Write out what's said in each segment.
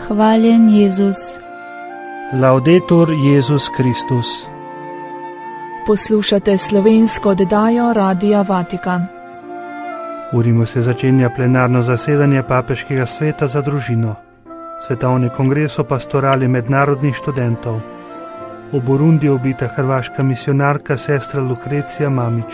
Hvaljen Jezus. Laudetur Jezus Kristus. Poslušate slovensko oddajo Radia Vatikan. V Rimu se začenja plenarno zasedanje Papeškega sveta za družino, Svetovni kongres o pastorali mednarodnih študentov. V Burundiju ubita hrvaška misionarka sestra Lukrecija Mamić.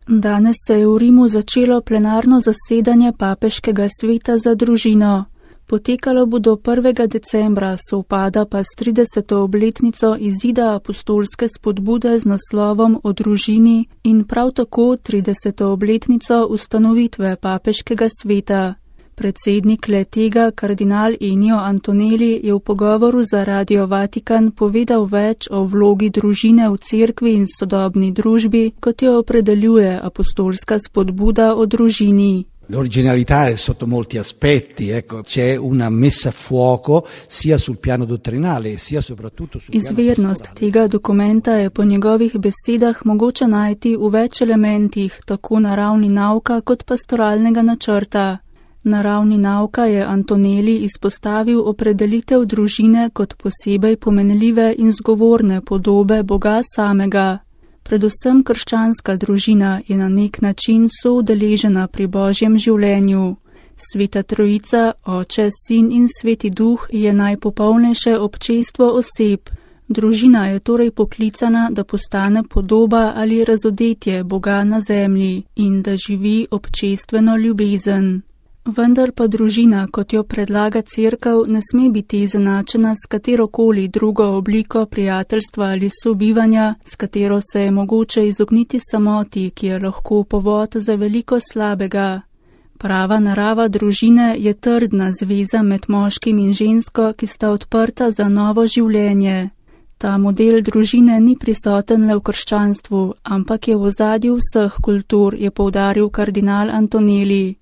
Danes se je v Rimu začelo plenarno zasedanje Papeškega sveta za družino. Potekalo bo do 1. decembra, sovpada pa s 30. obletnico izida apostolske spodbude z naslovom o družini in prav tako 30. obletnico ustanovitve Papeškega sveta. Predsednik le-tega, kardinal Ennio Antonelli, je v pogovoru za Radio Vatikan povedal več o vlogi družine v cerkvi in sodobni družbi, kot jo opredeljuje apostolska spodbuda o družini. L'originalità è sotto molti aspetti, c'è una messa a fuoco sia sul piano dottrinale sia soprattutto sul piano Izvirnost tega dokumenta je po njegovih besedah mogoče najti v več elementih, tako na ravni nauka kot pastoralnega načrta. Na ravni nauka je Antonelli izpostavil opredelitev družine kot posebej pomenljive in zgovorne podobe Boga samega. Predvsem krščanska družina je na nek način soudeležena pri Božjem življenju. Sveta Trojica, Oče, Sin in Sveti Duh je najpopolnejše občestvo oseb. Družina je torej poklicana, da postane podoba ali razodetje Boga na zemlji in da živi občestveno ljubezen. Vendar pa družina, kot jo predlaga cerkev, ne sme biti izenačena s katerokoli drugo obliko prijateljstva ali sobivanja, s katero se je mogoče izogniti samoti, ki je lahko povod za veliko slabega. Prava narava družine je trdna zveza med moškim in žensko, ki sta odprta za novo življenje. Ta model družine ni prisoten le v krščanstvu, ampak je v ozadju vseh kultur, je poudaril kardinal Antonelli.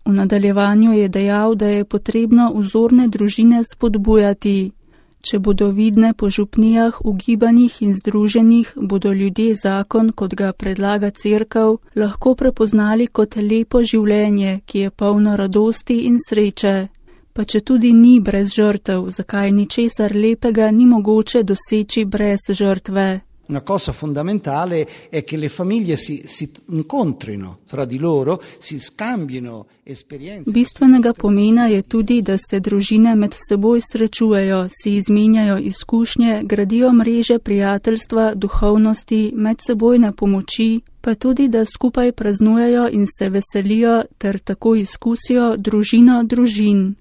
V nadaljevanju je dejal, da je potrebno vzorne družine spodbujati. Če bodo vidne po župnijah, v gibanjih in združenjih, bodo ljudje zakon, kot ga predlaga cerkev, lahko prepoznali kot lepo življenje, ki je polno radosti in sreče. Pa če tudi ni brez žrtev, zakaj ničesar lepega ni mogoče doseči brez žrtve. Una cosa fondamentale è che le famiglie si incontrino fra di loro, si scambino esperienze. Bistvenega pomena je tudi, da se družine med seboj srečujejo, si izmenjajo izkušnje, gradijo mreže prijateljstva, duhovnosti, medsebojne pomoči, pa tudi, da skupaj praznujejo in se veselijo ter tako izkusijo družino družin.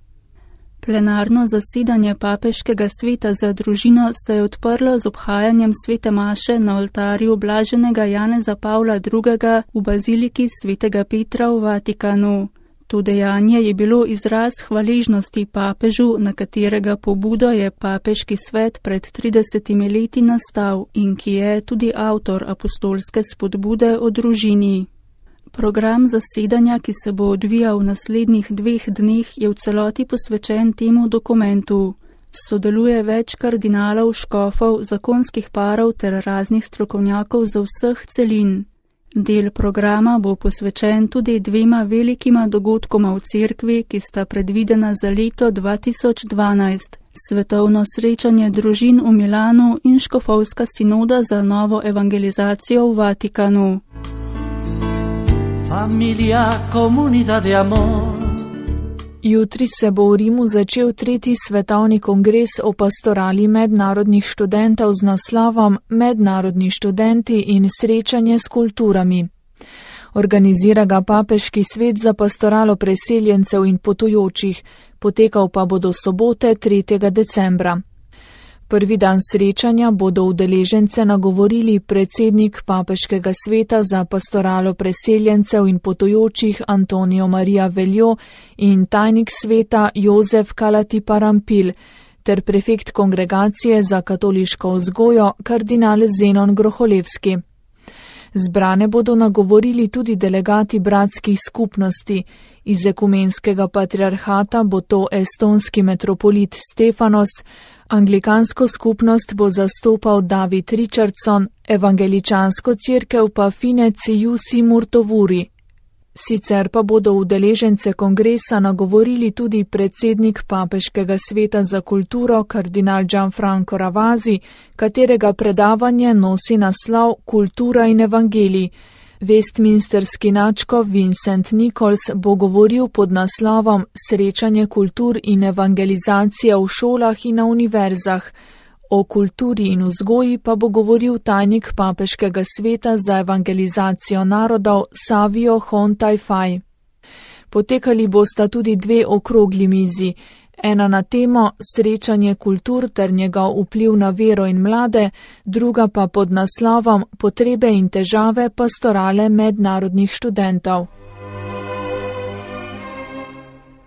Plenarno zasedanje Papeškega sveta za družino se je odprlo z obhajanjem svete maše na oltarju blaženega Janeza Pavla II. V baziliki svetega Petra v Vatikanu. To dejanje je bilo izraz hvaležnosti papežu, na katerega pobudo je Papeški svet pred 30 leti nastal in ki je tudi avtor apostolske spodbude o družini. Program zasedanja, ki se bo odvijal v naslednjih 2 dneh, je v celoti posvečen temu dokumentu. Sodeluje več kardinalov, škofov, zakonskih parov ter raznih strokovnjakov za vseh celin. Del programa bo posvečen tudi 2 velikima dogodkoma v cerkvi, ki sta predvidena za leto 2012. Svetovno srečanje družin v Milanu in škofovska sinoda za novo evangelizacijo v Vatikanu. Familia, comunidad de amor. Jutri se bo v Rimu začel 3. svetovni kongres o pastorali mednarodnih študentov z naslovom Mednarodni študenti in srečanje s kulturami. Organizira ga Papeški svet za pastoralo preseljencev in potujočih, potekal pa bo do sobote 3. decembra. Prvi dan srečanja bodo udeležence nagovorili predsednik Papeškega sveta za pastoralo preseljencev in potujočih Antonio Maria Veljo in tajnik sveta Jozef Kalati-Parampil ter prefekt kongregacije za katoliško vzgojo kardinal Zenon Groholevski. Zbrane bodo nagovorili tudi delegati bratskih skupnosti. Iz ekumenskega patriarhata bo to estonski metropolit Stefanos, anglikansko skupnost bo zastopal David Richardson, evangeličansko cerkev pa Fine Ciusi Murtovuri. Sicer pa bodo udeležence kongresa nagovorili tudi predsednik Papeškega sveta za kulturo kardinal Gianfranco Ravasi, katerega predavanje nosi naslov Kultura in evangelij. Westminsterski nadškof Vincent Nichols bo govoril pod naslovom Srečanje kultur in evangelizacija v šolah in na univerzah. O kulturi in vzgoji pa bo govoril tajnik Papeškega sveta za evangelizacijo narodov Savio Hon Taifai. Potekali bosta tudi 2 okrogli mizi. Ena na temo Srečanje kultur ter njegov vpliv na vero in mlade, druga pa pod naslovom Potrebe in težave pastorale mednarodnih študentov.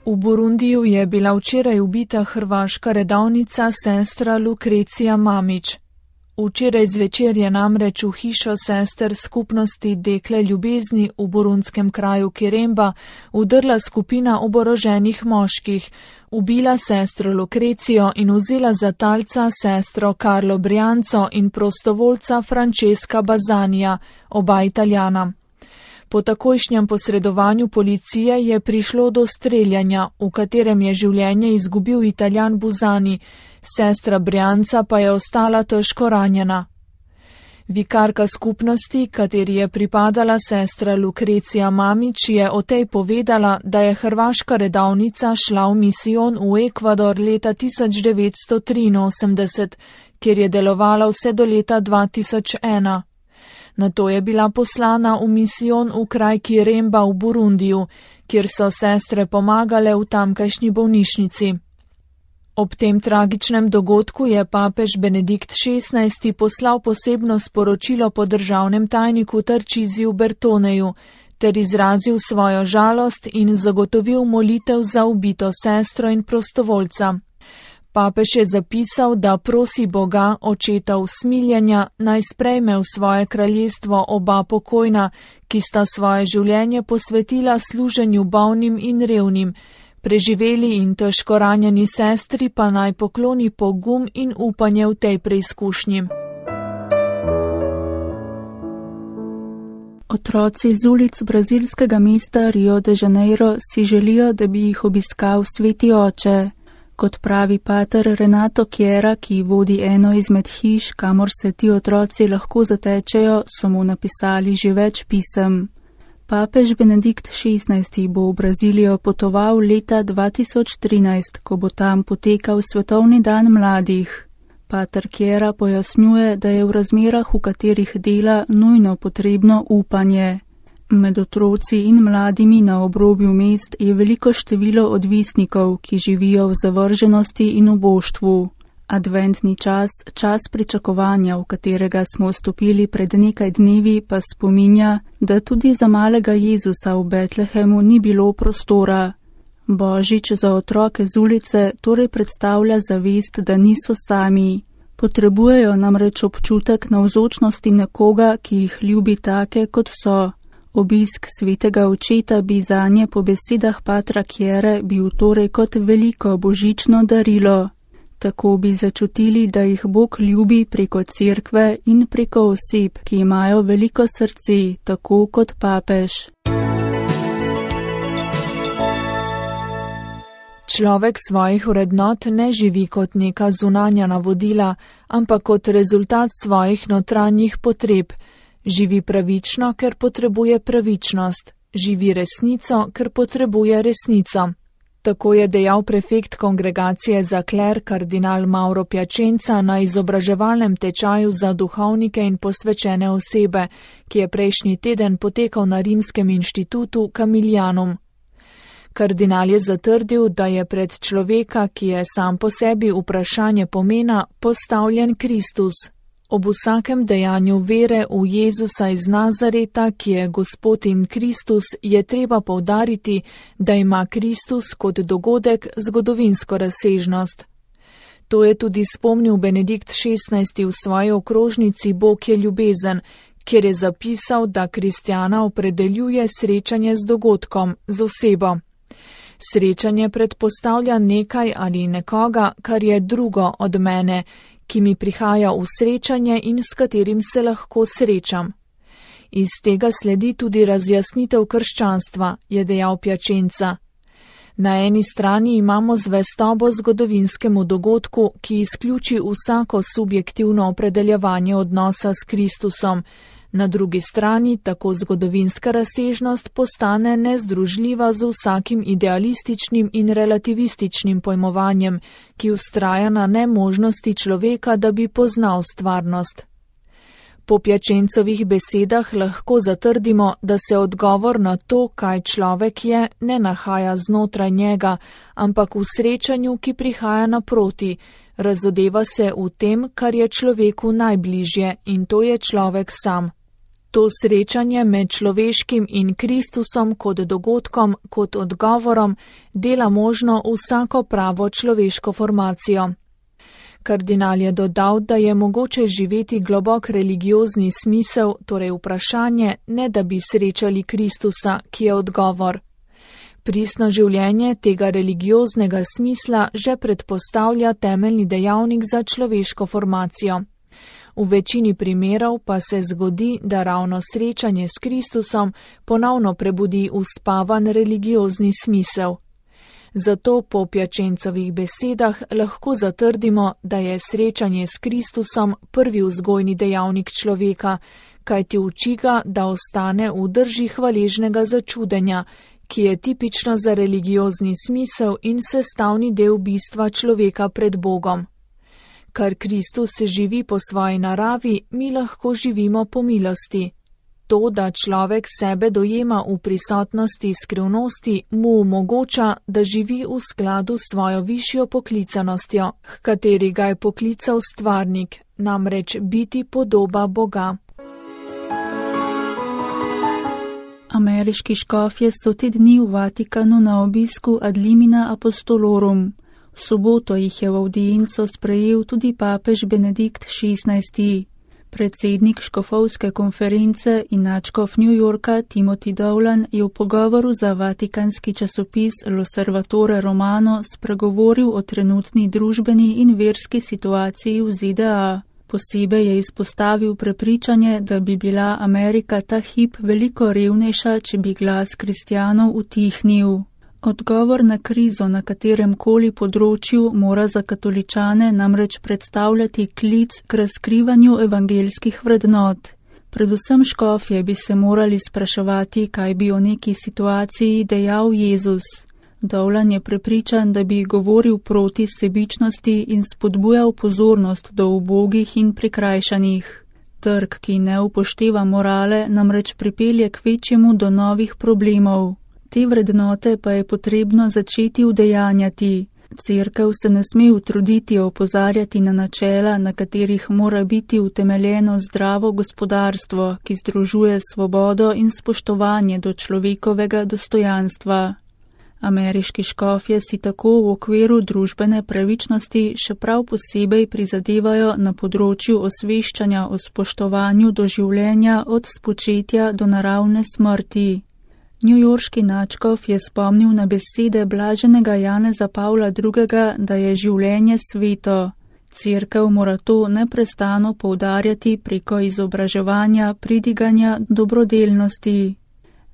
V Burundiju je bila včeraj ubita hrvaška redovnica sestra Lukrecija Mamić. Včeraj zvečer je namreč v hišo sester skupnosti Dekle ljubezni v burundskem kraju Kiremba vdrla skupina oboroženih moških, ubila sestro Lukrecijo in vzela za talca sestro Carlo Brianco in prostovoljca Francesca Bazanija, oba Italijana. Po takojšnjem posredovanju policije je prišlo do streljanja, v katerem je življenje izgubil Italijan Buzani, sestra Brianca pa je ostala težko ranjena. Vikarka skupnosti, kateri je pripadala sestra Lukrecija Mamić, je o tej povedala, da je hrvaška redovnica šla v misijon v Ekvador leta 1983, kjer je delovala vse do leta 2001. Nato je bila poslana v misijon v kraj Kiremba v Burundiju, kjer so sestre pomagale v tamkajšnji bolnišnici. Ob tem tragičnem dogodku je papež Benedikt XVI poslal posebno sporočilo po državnem tajniku Tarčiziju Bertoneju ter izrazil svojo žalost in zagotovil molitev za ubito sestro in prostovoljca. Papež je zapisal, da prosi Boga, očeta usmiljenja, naj sprejme v svoje kraljestvo oba pokojna, ki sta svoje življenje posvetila služenju bolnim in revnim, preživeli in težko ranjeni sestri pa naj pokloni pogum in upanje v tej preizkušnji. Otroci z ulic brazilskega mesta Rio de Janeiro si želijo, da bi jih obiskal Sveti oče. Kot pravi pater Renato Chiera, ki vodi eno izmed hiš, kamor se ti otroci lahko zatečejo, so mu napisali že več pisem. Papež Benedikt XVI bo v Brazilijo potoval leta 2013, ko bo tam potekal Svetovni dan mladih. Pater Chiera pojasnjuje, da je v razmerah, v katerih dela, nujno potrebno upanje. Med otroci in mladimi na obrobju mest je veliko število odvisnikov, ki živijo v zavrženosti in uboštvu. Adventni čas, čas pričakovanja, v katerega smo vstopili pred nekaj dnevi, pa spominja, da tudi za malega Jezusa v Betlehemu ni bilo prostora. Božič za otroke z ulice torej predstavlja zavest, da niso sami. Potrebujejo namreč občutek navzočnosti nekoga, ki jih ljubi take, kot so. Obisk svetega očeta bi zanje po besedah patra Chiere bil torej kot veliko božično darilo. Tako bi začutili, da jih Bog ljubi preko cerkve in preko oseb, ki imajo veliko srce, tako kot papež. Človek svojih vrednot ne živi kot neka zunanja navodila, ampak kot rezultat svojih notranjih potreb. Živi pravično, ker potrebuje pravičnost. Živi resnico, ker potrebuje resnico. Tako je dejal prefekt kongregacije za kler kardinal Mauro Piacenza na izobraževalnem tečaju za duhovnike in posvečene osebe, ki je prejšnji teden potekal na Rimskem inštitutu Camilianum. Kardinal je zatrdil, da je pred človeka, ki je sam po sebi vprašanje pomena, postavljen Kristus. Ob vsakem dejanju vere v Jezusa iz Nazareta, ki je Gospod in Kristus, je treba poudariti, da ima Kristus kot dogodek zgodovinsko razsežnost. To je tudi spomnil Benedikt XVI v svoji okrožnici Bog je ljubezen, kjer je zapisal, da kristjana opredeljuje srečanje z dogodkom, z osebo. Srečanje predpostavlja nekaj ali nekoga, kar je drugo od mene, ki mi prihaja v srečanje in s katerim se lahko srečam. Iz tega sledi tudi razjasnitev krščanstva, je dejal Piacenza. Na eni strani imamo zvestobo zgodovinskemu dogodku, ki izključi vsako subjektivno opredeljevanje odnosa s Kristusom. Na drugi strani tako zgodovinska razsežnost postane nezdružljiva z vsakim idealističnim in relativističnim pojmovanjem, ki vztraja na nemožnosti človeka, da bi poznal stvarnost. Po Piacencovih besedah lahko zatrdimo, da se odgovor na to, kaj človek je, ne nahaja znotraj njega, ampak v srečanju, ki prihaja naproti, razodeva se v tem, kar je človeku najbližje, in to je človek sam. To srečanje med človeškim in Kristusom kot dogodkom, kot odgovorom, dela možno vsako pravo človeško formacijo. Kardinal je dodal, da je mogoče živeti globok religiozni smisel, torej vprašanje, ne da bi srečali Kristusa, ki je odgovor. Pristno življenje tega religioznega smisla že predpostavlja temeljni dejavnik za človeško formacijo. V večini primerov pa se zgodi, da ravno srečanje s Kristusom ponovno prebudi uspavan religiozni smisel. Zato po Piacencovih besedah lahko zatrdimo, da je srečanje s Kristusom prvi vzgojni dejavnik človeka, kajti uči ga, da ostane v drži hvaležnega začudenja, ki je tipično za religiozni smisel in sestavni del bistva človeka pred Bogom. Kar Kristus živi po svoji naravi, mi lahko živimo po milosti. To, da človek sebe dojema v prisotnosti skrivnosti, mu omogoča, da živi v skladu s svojo višjo poklicanostjo, h kateri ga je poklical stvarnik, namreč biti podoba Boga. Ameriški škofje so te dni v Vatikanu na obisku ad limina apostolorum. V soboto jih je v avdienco sprejel tudi papež Benedikt XVI. Predsednik škofovske konference in nadškof New Yorka Timothy Dowland je v pogovoru za vatikanski časopis L'Osservatore Romano spregovoril o trenutni družbeni in verski situaciji v ZDA. Posebej je izpostavil prepričanje, da bi bila Amerika ta hip veliko revnejša, če bi glas kristjanov utihnil. Odgovor na krizo na katerem koli področju mora za katoličane namreč predstavljati klic k razkrivanju evangeljskih vrednot. Predvsem škofje bi se morali spraševati, kaj bi o neki situaciji dejal Jezus. Dowland je prepričan, da bi govoril proti sebičnosti in spodbujal pozornost do ubogih in prikrajšanih. Trg, ki ne upošteva morale, namreč pripelje k večjemu do novih problemov. Te vrednote pa je potrebno začeti udejanjati. Cerkev se ne sme utruditi opozarjati na načela, na katerih mora biti utemeljeno zdravo gospodarstvo, ki združuje svobodo in spoštovanje do človekovega dostojanstva. Ameriški škofje si tako v okviru družbene pravičnosti še prav posebej prizadevajo na področju osveščanja o spoštovanju do življenja od spočetja do naravne smrti. Newyorški nadškof je spomnil na besede blaženega Janeza Pavla II., da je življenje sveto. Cerkev mora to neprestano poudarjati preko izobraževanja, pridiganja, dobrodelnosti.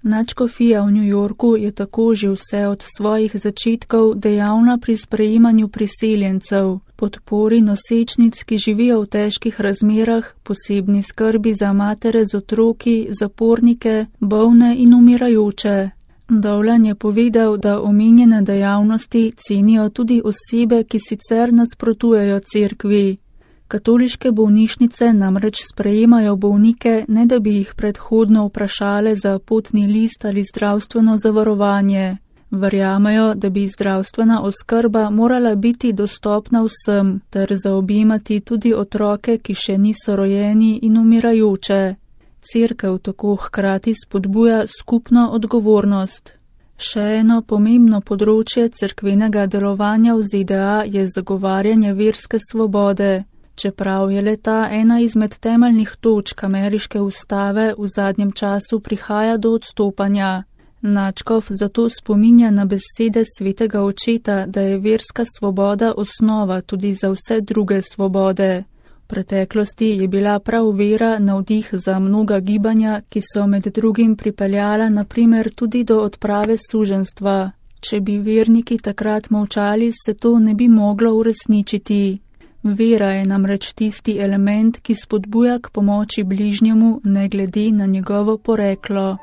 Nadškofija v New Yorku je tako že vse od svojih začetkov dejavna pri sprejemanju priseljencev, podpori nosečnic, ki živijo v težkih razmerah, posebni skrbi za matere z otroki, zapornike, bolne in umirajoče. Dowland je povedal, da omenjene dejavnosti cenijo tudi osebe, ki sicer nasprotujejo cerkvi. Katoliške bolnišnice namreč sprejemajo bolnike, ne da bi jih predhodno vprašale za potni list ali zdravstveno zavarovanje. Verjamejo, da bi zdravstvena oskrba morala biti dostopna vsem, ter zaobjemati tudi otroke, ki še niso rojeni in umirajoče. Cerkev tako hkrati spodbuja skupno odgovornost. Še eno pomembno področje cerkvenega delovanja v ZDA je zagovarjanje verske svobode. Čeprav je leta ena izmed temeljnih točk ameriške ustave, v zadnjem času prihaja do odstopanja. Nadškof zato spominja na besede svetega očeta, da je verska svoboda osnova tudi za vse druge svobode. V preteklosti je bila prav vera navdih za mnoga gibanja, ki so med drugim pripeljala naprimer tudi do odprave suženjstva. Če bi verniki takrat molčali, se to ne bi moglo uresničiti. Vera je namreč tisti element, ki spodbuja k pomoči bližnjemu, ne glede na njegovo poreklo.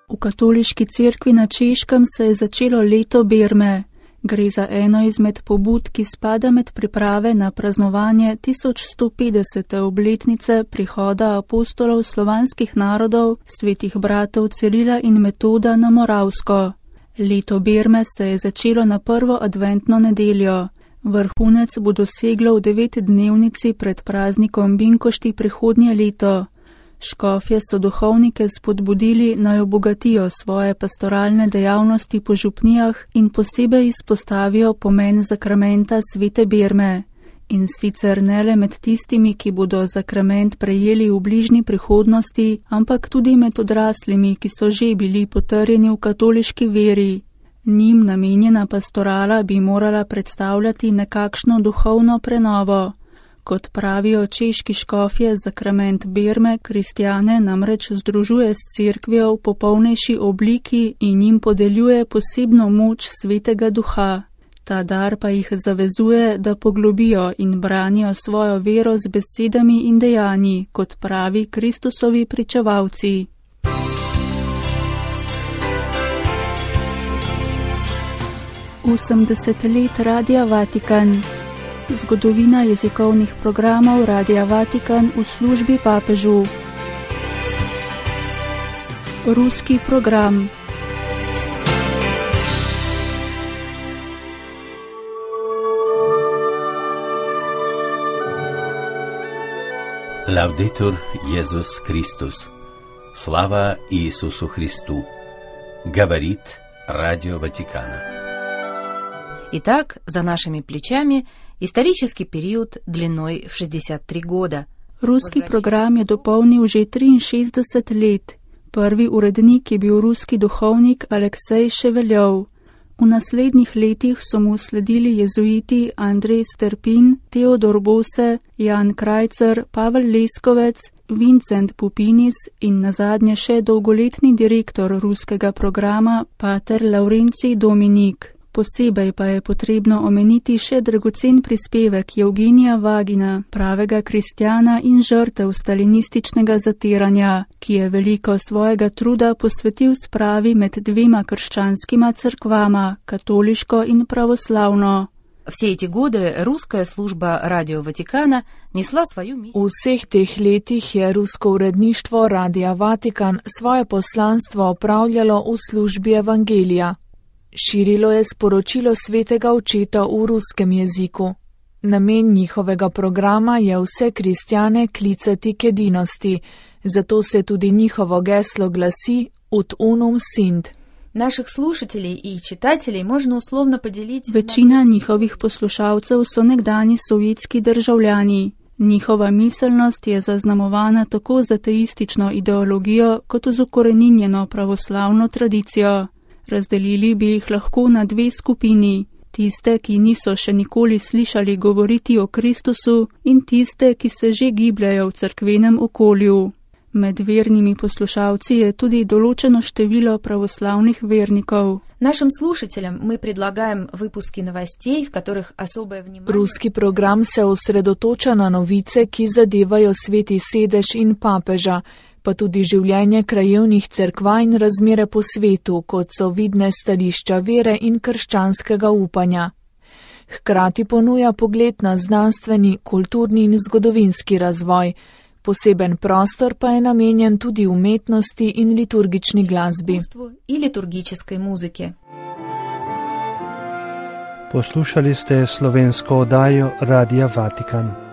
V katoliški cerkvi na Češkem se je začelo leto berme. Gre za eno izmed pobud, ki spada med priprave na praznovanje 1150. obletnice prihoda apostolov slovanskih narodov, svetih bratov Cirila in Metoda na Moravsko. Leto berme se je začelo na prvo adventno nedeljo. Vrhunec bo doseglo v 9-dnevnici pred praznikom Binkošti prihodnje leto. Škofje so duhovnike spodbudili, naj obogatijo svoje pastoralne dejavnosti po župnijah in posebej izpostavijo pomen zakramenta svete berme. In sicer ne le med tistimi, ki bodo zakrament prejeli v bližnji prihodnosti, ampak tudi med odraslimi, ki so že bili potrjeni v katoliški veri. Njim namenjena pastorala bi morala predstavljati nekakšno duhovno prenovo. Kot pravijo češki škofje, zakrament berme kristjane namreč združuje s cerkvijo v popolnejši obliki in jim podeljuje posebno moč svetega duha. Ta dar pa jih zavezuje, da poglobijo in branijo svojo vero z besedami in dejanji, kot pravi Kristusovi pričevalci. Osemdeset let Radia Vatikan. Zgodovina jezikovnih programov Radia Vatikan v službi papežu. Ruski program. Laudetur Jesus Christus. Слава Иисусу Христу. Говорит Радио Ватикана. Итак, за нашими плечами исторический период длиной в 63 года. Ruski program je dopolnil že 63 let. Prvi urednik je bil ruski duhovnik Aleksej Ševeljov. V naslednjih letih so mu sledili jezuiti Andrej Sterpin, Teodor Bose, Jan Krajcer, Pavel Leskovec, Vincent Pupinis in nazadnje še dolgoletni direktor ruskega programa pater Laurencij Dominik. Posebej pa je potrebno omeniti še dragocen prispevek Evgenija Vagina, pravega kristjana in žrtev stalinističnega zatiranja, ki je veliko svojega truda posvetil spravi med dvema krščanskima cerkvama, katoliško in pravoslavno. Все эти годы русская служба Радио Ватикана несла свою миссию. V vseh teh letih je rusko uredništvo Radia Vatikan svoje poslanstvo opravljalo v službi evangelija. Širilo je sporočilo svetega očeta v ruskem jeziku. Namen njihovega programa je vse kristjane klicati k edinosti, zato se tudi njihovo geslo glasi Ut unum sint. Naših slušatelей in čitatelей можно условно поделить. Večina njihovih poslušalcev so nekdani sovjetski državljani. Njihova miselnost je zaznamovana tako z ateistično ideologijo kot z ukoreninjeno pravoslavno tradicijo. Razdelili bi jih lahko na dve skupini, tiste, ki niso še nikoli slišali govoriti o Kristusu in tiste, ki se že gibljajo v cerkvenem okolju. Med vernimi poslušalci je tudi določeno število pravoslavnih vernikov. Нашим слушателям мы предлагаем выпуски новостей, в которых особое внимание... Ruski program se osredotoča na novice, ki zadevajo sveti sedež in papeža, pa tudi življenje krajevnih cerkva in razmere po svetu, kot so vidne stališča vere in krščanskega upanja. Hkrati ponuja pogled na znanstveni, kulturni in zgodovinski razvoj. Poseben prostor pa je namenjen tudi umetnosti in liturgični glasbi. In liturgične muzike. Poslušali ste slovensko oddajo Radia Vatikan.